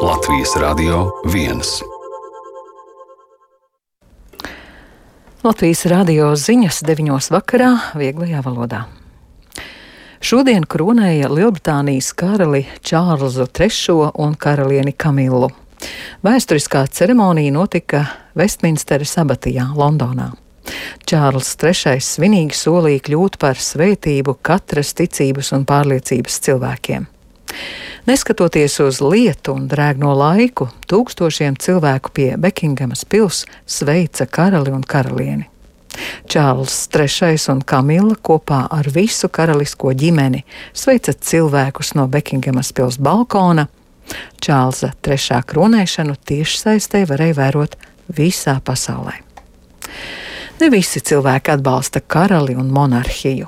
Latvijas Radio 1. Latvijas radio ziņas 9. vakarā vieglajā valodā. Šodien kronēja Lielbritānijas karali Čārlzu III un karalieni Kamilu. Vēsturiskā ceremonija notika Vestminsteres abatijā, Londonā. Čārls III svinīgi solīja kļūt par svētību katras ticības un pārliecības cilvēkiem. Neskatoties uz lietu un drēgno laiku, tūkstošiem cilvēku pie Bekingamas pils sveica karali un karalieni. Čārls III un Kamila kopā ar visu karalisko ģimeni sveica cilvēkus no Bekingamas pils balkona. Čārlza III kronēšanu tiešsaistē varēja vērot visā pasaulē. Ne visi cilvēki atbalsta karali un monarhiju.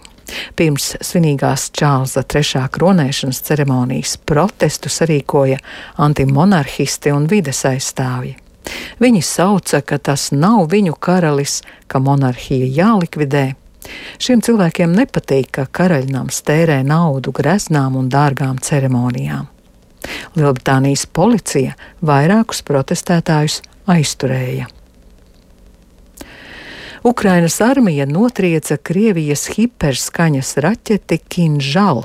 Pirms svinīgās Čārlza III kronēšanas ceremonijas protestu sarīkoja antimonarhisti un vides aizstāvji. Viņi sauca, ka tas nav viņu karalis, ka monarhija jālikvidē. Šiem cilvēkiem nepatīk, ka karaļnams tērē naudu greznām un dārgām ceremonijām. Lielbritānijas policija vairākus protestētājus aizturēja. Ukrainas armija notrieca Krievijas hiperskaņas raķeti Kinžal.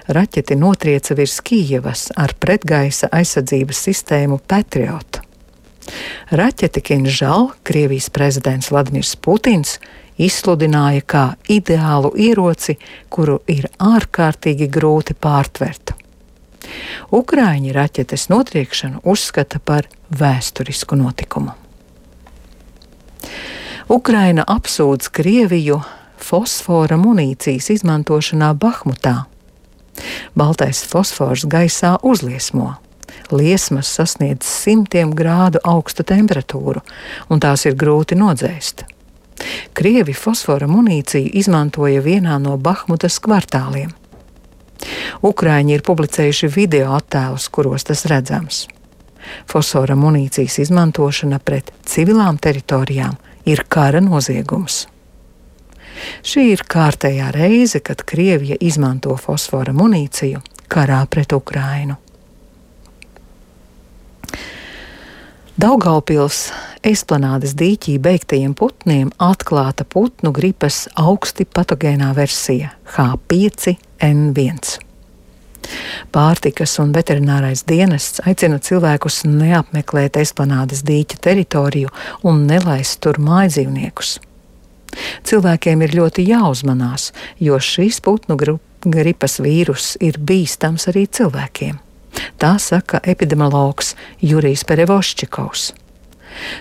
Raķeti notrieca virs Kijevas ar pretgaisa aizsardzības sistēmu Patriot. Raķeti Kinžal Krievijas prezidents Vladimirs Putins izsludināja kā ideālu ieroci, kuru ir ārkārtīgi grūti pārtvert. Ukraiņi raķetes notriekšanu uzskata par vēsturisku notikumu. Ukraina apsūdz Krieviju fosfora munīcijas izmantošanā Bahmutā. Baltais fosfors gaisā uzliesmo. Liesmas sasniedz 100 grādu augstu temperatūru, un tās ir grūti nodzēst. Krievi fosfora munīciju izmantoja vienā no Bahmutas kvartāliem. Ukraiņi ir publicējuši video attēlus, kuros tas redzams. Fosfora munīcijas izmantošana pret civilām teritorijām ir kara noziegums. Šī ir kārtējā reize, kad Krievija izmanto fosfora munīciju karā pret Ukrainu. Daugavpils Esplanādes dīķī beigtajiem putniem atklāta putnu gripas augsti patogēnā versija H5N1. Pārtikas un veterinārais dienests aicina cilvēkus neapmeklēt Esplanādes dīķa teritoriju un nelaist tur mājdzīvniekus. Cilvēkiem ir ļoti jāuzmanās, jo šīs putnu gripas vīrus ir bīstams arī cilvēkiem. Tā saka epidemiologs Jurijs Perevoščikovs.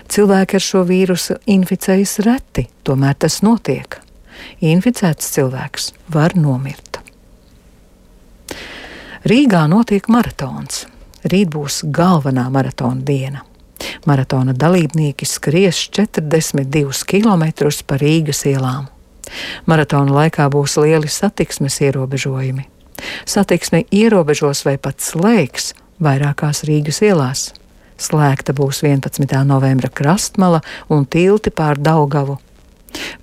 Cilvēki ar šo vīrusu inficējas reti, tomēr tas notiek. Inficēts cilvēks var nomirt. Rīgā notiek maratons. Rīt būs galvenā maratona diena. Maratona dalībnieki skries 42 km pa Rīgas ielām. Maratona laikā būs lieli satiksmes ierobežojumi. Satiksme ierobežos vai pat slēgs vairākās Rīgas ielās. Slēgta būs 11. novembra Krastmala un tilti pār Daugavu.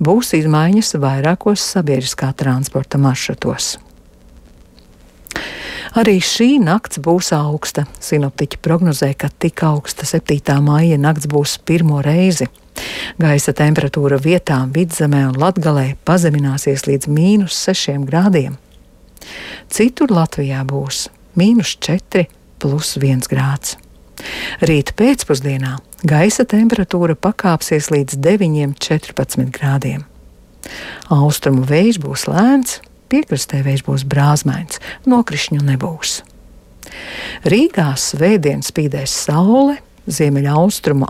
Būs izmaiņas vairākos sabiedriskā transporta maršrutos. Arī šī nakts būs augsta. Sinoptiķi prognozē, ka tik augsta 7. maija nakts būs pirmo reizi. Gaisa temperatūra vietām Vidzemē un Latgalē pazemināsies līdz -6 grādiem. Citur Latvijā būs -4 plus 1 grāds. Rīt pēcpusdienā gaisa temperatūra pakāpsies līdz 9-14 grādiem. Austrumu vējš būs lēns, piekrastē vējš būs brāzmains, nokrišņu nebūs. Rīgā svētdien spīdēs saule, ziemeļaustrumu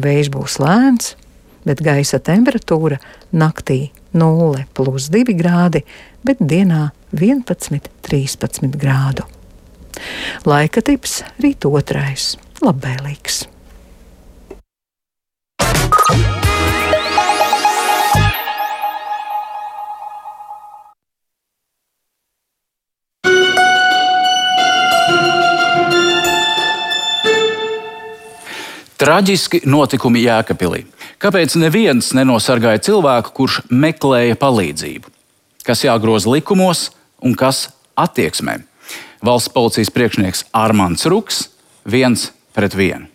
vējš būs lēns, bet gaisa temperatūra naktī 0 plus 2 grādi, bet dienā 11-13 grādu. Laika tips rīt 2. labvēlīgs. Traģiski notikumi Jēkabpilī. Kāpēc neviens nenosargāja cilvēku, kurš meklēja palīdzību? Kas jāgroza likumos un kas attieksmē? Valsts policijas priekšnieks Armands Ruks viens pret vienu.